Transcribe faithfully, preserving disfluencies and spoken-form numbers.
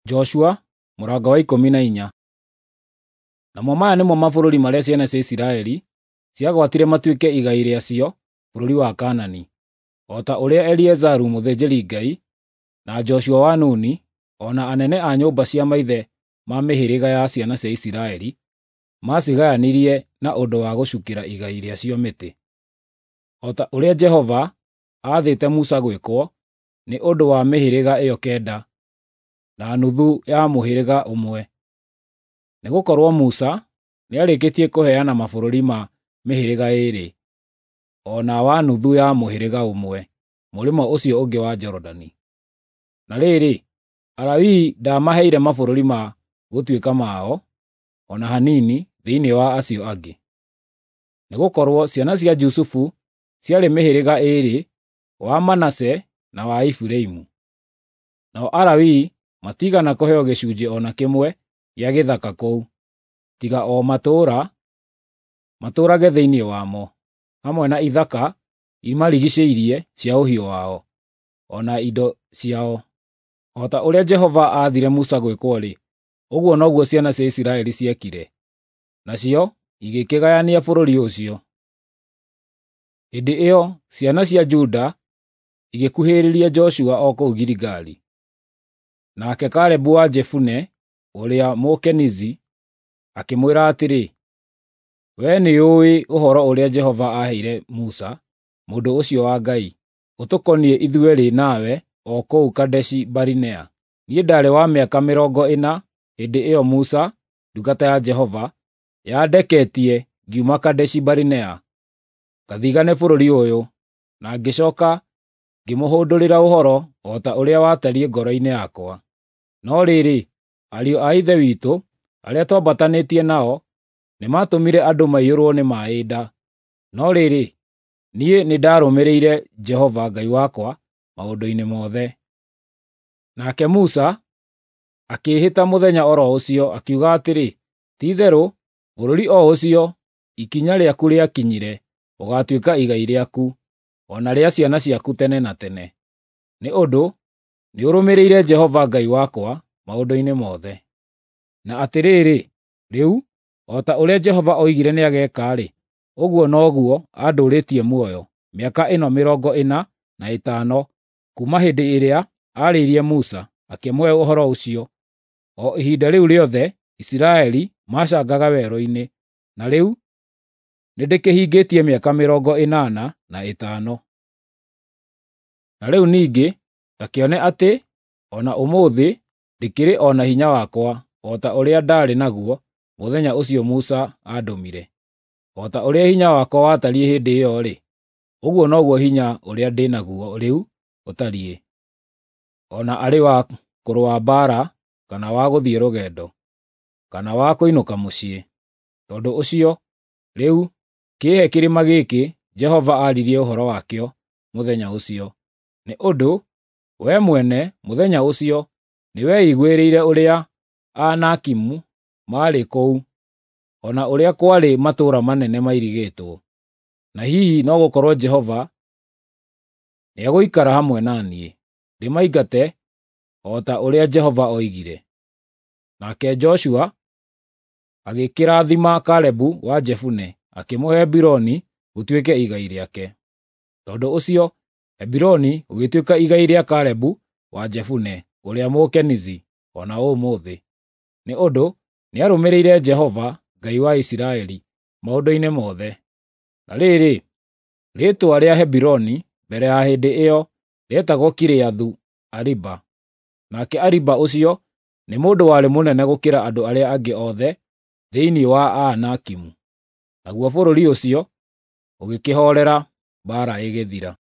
Joshua mũrango wa ikũmi na inya. Namo maya nĩmo mabũrũri marĩa ciana cia Isiraeli ciagwatire matuĩke igai rĩacio bũrũri wa Kaanani, o ta ũrĩa Eliazaru mũthĩnjĩri-Ngai, na Joshua wa Nuni, o na anene a nyũmba cia maithe ma mĩhĩrĩga ya ciana cia Isiraeli maacigayanirie na ũndũ wa gũcukĩra igai rĩacio mĩtĩ, o ta ũrĩa Jehova aathĩte Musa gwĩkwo nĩ ũndũ wa mĩhĩrĩga ĩyo kenda na nuthu ya mũhĩrĩga ũmwe. Nĩgũkorwo Musa nĩarĩkĩtie kũheana mabũrũri ma mĩhĩrĩga ĩĩrĩ, o na wa nuthu ya mũhĩrĩga ũmwe, mũrĩmo ũcio ũngĩ wa Jorodani. Na rĩrĩ, Alawii ndaamaheire mabũrũri ma gũtuĩka mao o na hanini thĩinĩ wa acio angĩ. Nĩgũkorwo ciana cia Jusufu ciarĩ mĩhĩrĩga ĩĩrĩ, wa Manase na wa Efiraimu. Nao Alawii matiigana kũheo gĩcunjĩ o na kĩmwe gĩa gĩthaka kũu, tiga o matũũra matũũrage thĩinĩ wamo, hamwe na ithaka imarigiicĩirie cia ũhiũ wao, o na indo ciao. O ta ũrĩa Jehova aathire Musa gwĩkwo-rĩ, ũguo noguo ciana cia Isiraeli ciekire, nacio igĩkĩgayania bũrũri ũcio. Hĩndĩ ĩyo ciana cia Juda igĩkuhĩrĩria Joshua o kũu Giligali. Nake Kalebu wa Jefune ũrĩa Mũkenizi akĩmwĩra atĩrĩ, “Wee nĩũũĩ ũhoro ũrĩa Jehova aaheire Musa, mũndũ ũcio wa Ngai, ũtũkoniĩ ithuerĩ nawe o kũu Kadeshi-Barinea. Niĩ ndaarĩ wa mĩaka mĩrongo ĩna hĩndĩ ĩyo Musa, ndungata ya Jehova, yandeketie ngiuma Kadeshi-Barinea ngathigaane bũrũri ũyũ, na ngĩcooka ngĩmũhũndũrĩra ũhoro o ta ũrĩa watariĩ ngoro-inĩ yakwa. No rĩrĩ, ariũ a ithe witũ arĩa twambatanĩtie nao nĩmatũmire andũ maiyũrwo nĩ maaĩ nda. No rĩrĩ, niĩ nĩndarũmĩrĩire Jehova Ngai wakwa maũndũ-inĩ mothe.” Nake Musa akĩĩhĩta mũthenya o ro ũcio, akiuga atĩrĩ, “Ti-itherũ bũrũri o ũcio ikinya rĩaku rĩakinyire ũgaatuĩka igai rĩaku, o na rĩa ciana ciaku tene na tene, nĩ ũndũ nĩũrũmĩrĩire Jehova Ngai wakwa maũndũ-inĩ mothe.” Na atĩrĩrĩ, rĩu, o ta ũrĩa Jehova oigire nĩageeka-rĩ, ũguo noguo andũũrĩtie muoyo mĩaka ĩno mĩrongo ĩna na ĩtano kuuma hĩndĩ ĩrĩa aarĩirie Musa akĩmũhe ũhoro ũcio. O ihinda rĩu rĩothe Isiraeli macangaga werũ-inĩ, na rĩu nĩndĩkĩhingĩtie mĩaka mĩrongo ĩnana na ĩtano. Na rĩu ningĩ ta kĩone atĩ o na ũmũthĩ ndikĩrĩ o na hinya wakwa o ta ũrĩa ndaarĩ naguo mũthenya ũcio Musa aandũmire. O ta ũrĩa hinya wakwa watariĩ hĩndĩ ĩyo-rĩ, ũguo noguo hinya ũrĩa ndĩ naguo rĩu ũtariĩ, o na arĩ wa kũrũa mbaara kana wa gũthiĩ rũgendo, kana wa kũinũka mũciĩ. Tondũ ũcio, rĩu kĩĩhe kĩrĩma gĩkĩ Jehova aaririe ũhoro wakĩo mũthenya ũcio, nĩ ũndũ wee mwene mũthenya ũcio nĩweiguĩrĩire ũrĩa Aanakimu maarĩ kũu, o na ũrĩa kwarĩ matũũra manene mairigĩtwo. Na hihi no gũkorwo Jehova nĩegũikara hamwe na niĩ, ndĩmaingate o ta ũrĩa Jehova oigire. Nake Joshua agĩkĩrathima Kalebu wa Jefune, akĩmũhe Hebironi gũtuĩke igai rĩake. Tondũ ũcio Hebironi gũgĩtuĩka igai rĩa Kalebu wa Jefune ũrĩa Mũkenizi o na ũmũthĩ, nĩ ũndũ nĩarũmĩrĩire Jehova Ngai wa Isiraeli maũndũ-inĩ mothe. Na rĩrĩ, rĩĩtwa rĩa Hebironi mbere ya hĩndĩ ĩyo rĩetagwo Kiriathu-Ariba. Nake Ariba ũcio nĩ mũndũ warĩ mũnene gũkĩra andũ arĩa angĩ othe thĩinĩ wa Aanakimu. Naguo bũrũri ũcio ũgĩkĩhoorera, mbaara ĩgĩthira.